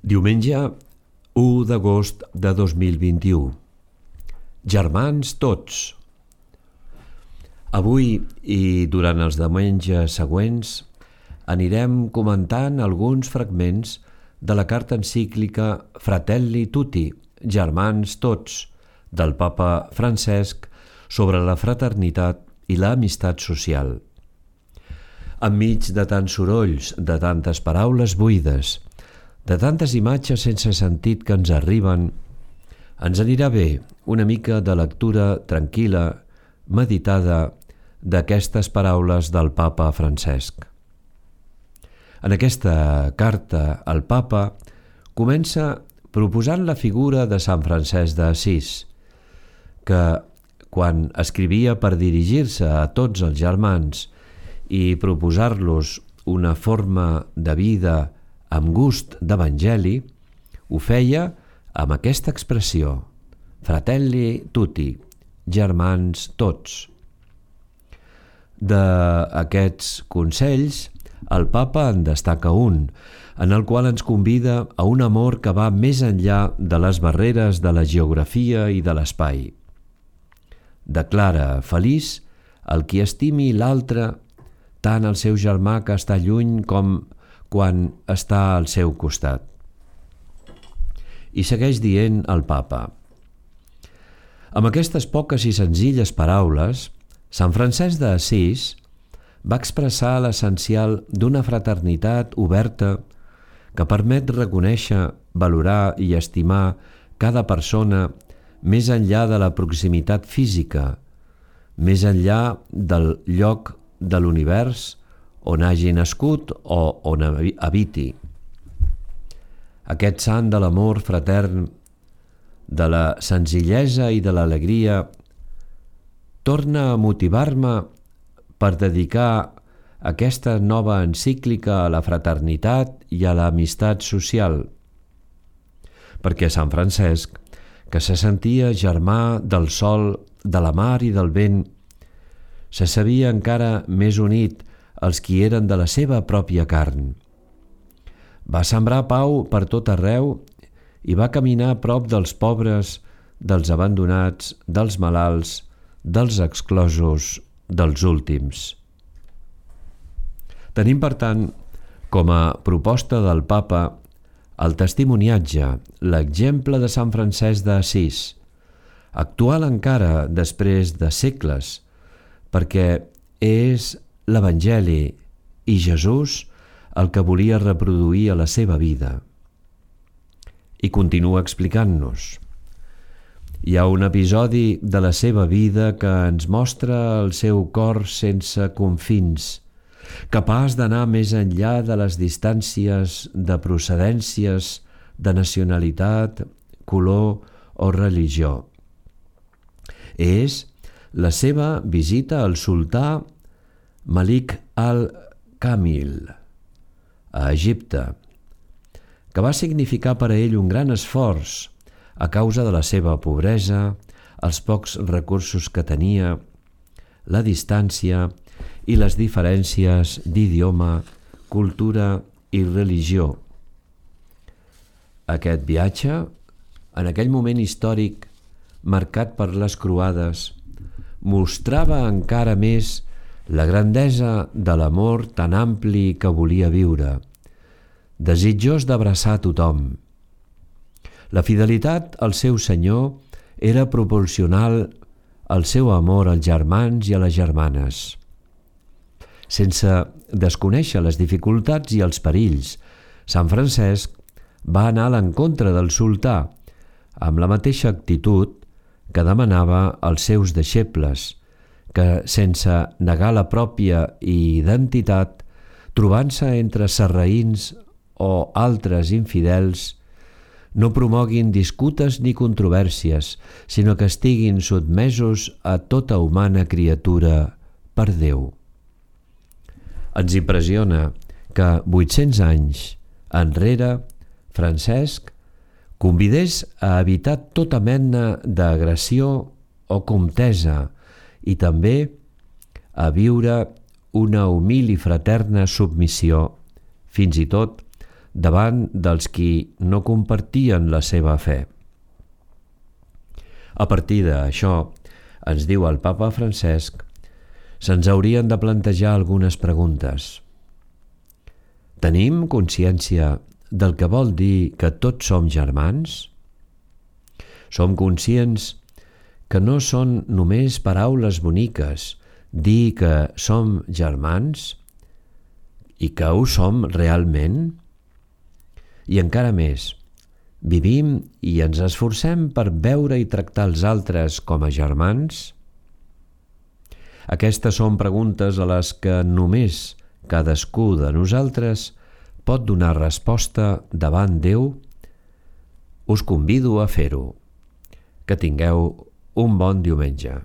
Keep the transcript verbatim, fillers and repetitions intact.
Diumenge u d'agost de dos mil vint-i-u. Germans tots. Avui i durant els diumenges següents anirem comentant alguns fragments de la carta encíclica Fratelli Tutti, Germans tots, del Papa Francesc sobre la fraternitat i l'amistat social. Enmig de tants sorolls, de tantes paraules buides, de tantes imatges sense sentit que ens arriben, ens anirà bé una mica de lectura tranquil·la, meditada, d'aquestes paraules del Papa Francesc. En aquesta carta, el Papa comença proposant la figura de Sant Francesc d'Assís, que, quan escrivia per dirigir-se a tots els germans i proposar-los una forma de vida amb gust d'evangeli, ho feia amb aquesta expressió: Fratelli Tutti, germans tots. D'aquests consells, el Papa en destaca un, en el qual ens convida a un amor que va més enllà de les barreres de la geografia i de l'espai. Declara feliç el qui estimi l'altre, tant el seu germà que està lluny com quan està al seu costat. I segueix dient el Papa: amb aquestes poques i senzilles paraules, Sant Francesc d'Assís va expressar l'essencial d'una fraternitat oberta que permet reconèixer, valorar i estimar cada persona més enllà de la proximitat física, més enllà del lloc de l'univers on hagi nascut o on habiti. Aquest sant de l'amor fratern, de la senzillesa i de l'alegria, torna a motivar-me per dedicar aquesta nova encíclica a la fraternitat i a l'amistat social, perquè Sant Francesc, que se sentia germà del sol, de la mar i del vent, se sabia encara més unit als qui eren de la seva pròpia carn. Va sembrar pau per tot arreu i va caminar a prop dels pobres, dels abandonats, dels malalts, dels exclosos, dels últims. Tenim, per tant, com a proposta del Papa, el testimoniatge, l'exemple de Sant Francesc d'Assís, actual encara després de segles, perquè és l'Evangeli i Jesús el que volia reproduir a la seva vida. I continua explicant-nos. Hi ha un episodi de la seva vida que ens mostra el seu cor sense confins, capaç d'anar més enllà de les distàncies de procedències, de nacionalitat, color o religió. És la seva visita al sultà Malik al-Kamil, a Egipte, que va significar per a ell un gran esforç a causa de la seva pobresa, els pocs recursos que tenia, la distància i les diferències d'idioma, cultura i religió. Aquest viatge, en aquell moment històric marcat per les croades, mostrava encara més la grandesa de l'amor tan ampli que volia viure, desitjós d'abraçar tothom. La fidelitat al seu Senyor era proporcional al seu amor als germans i a les germanes. Sense desconèixer les dificultats i els perills, Sant Francesc va anar a l'encontre del sultà amb la mateixa actitud que demanava als seus deixebles, que, sense negar la pròpia identitat, trobant-se entre sarraïns o altres infidels, no promoguin disputes ni controvèrsies, sinó que estiguin sotmesos a tota humana criatura per Déu. Ens impressiona que vuit-cents anys enrere Francesc convidés a evitar tota mena d'agressió o contesa i també a viure una humil i fraterna submissió, fins i tot davant dels qui no compartien la seva fe. A partir d'això, ens diu el papa Francesc, se'ns haurien de plantejar algunes preguntes. Tenim consciència del que vol dir que tots som germans? Som conscients que no són només paraules boniques dir que som germans i que ho som realment? I encara més, vivim i ens esforcem per veure i tractar els altres com a germans? Aquestes són preguntes a les que només cadascú de nosaltres pot donar resposta davant Déu. Us convido a fer-ho. Que tingueu un bon diumenge.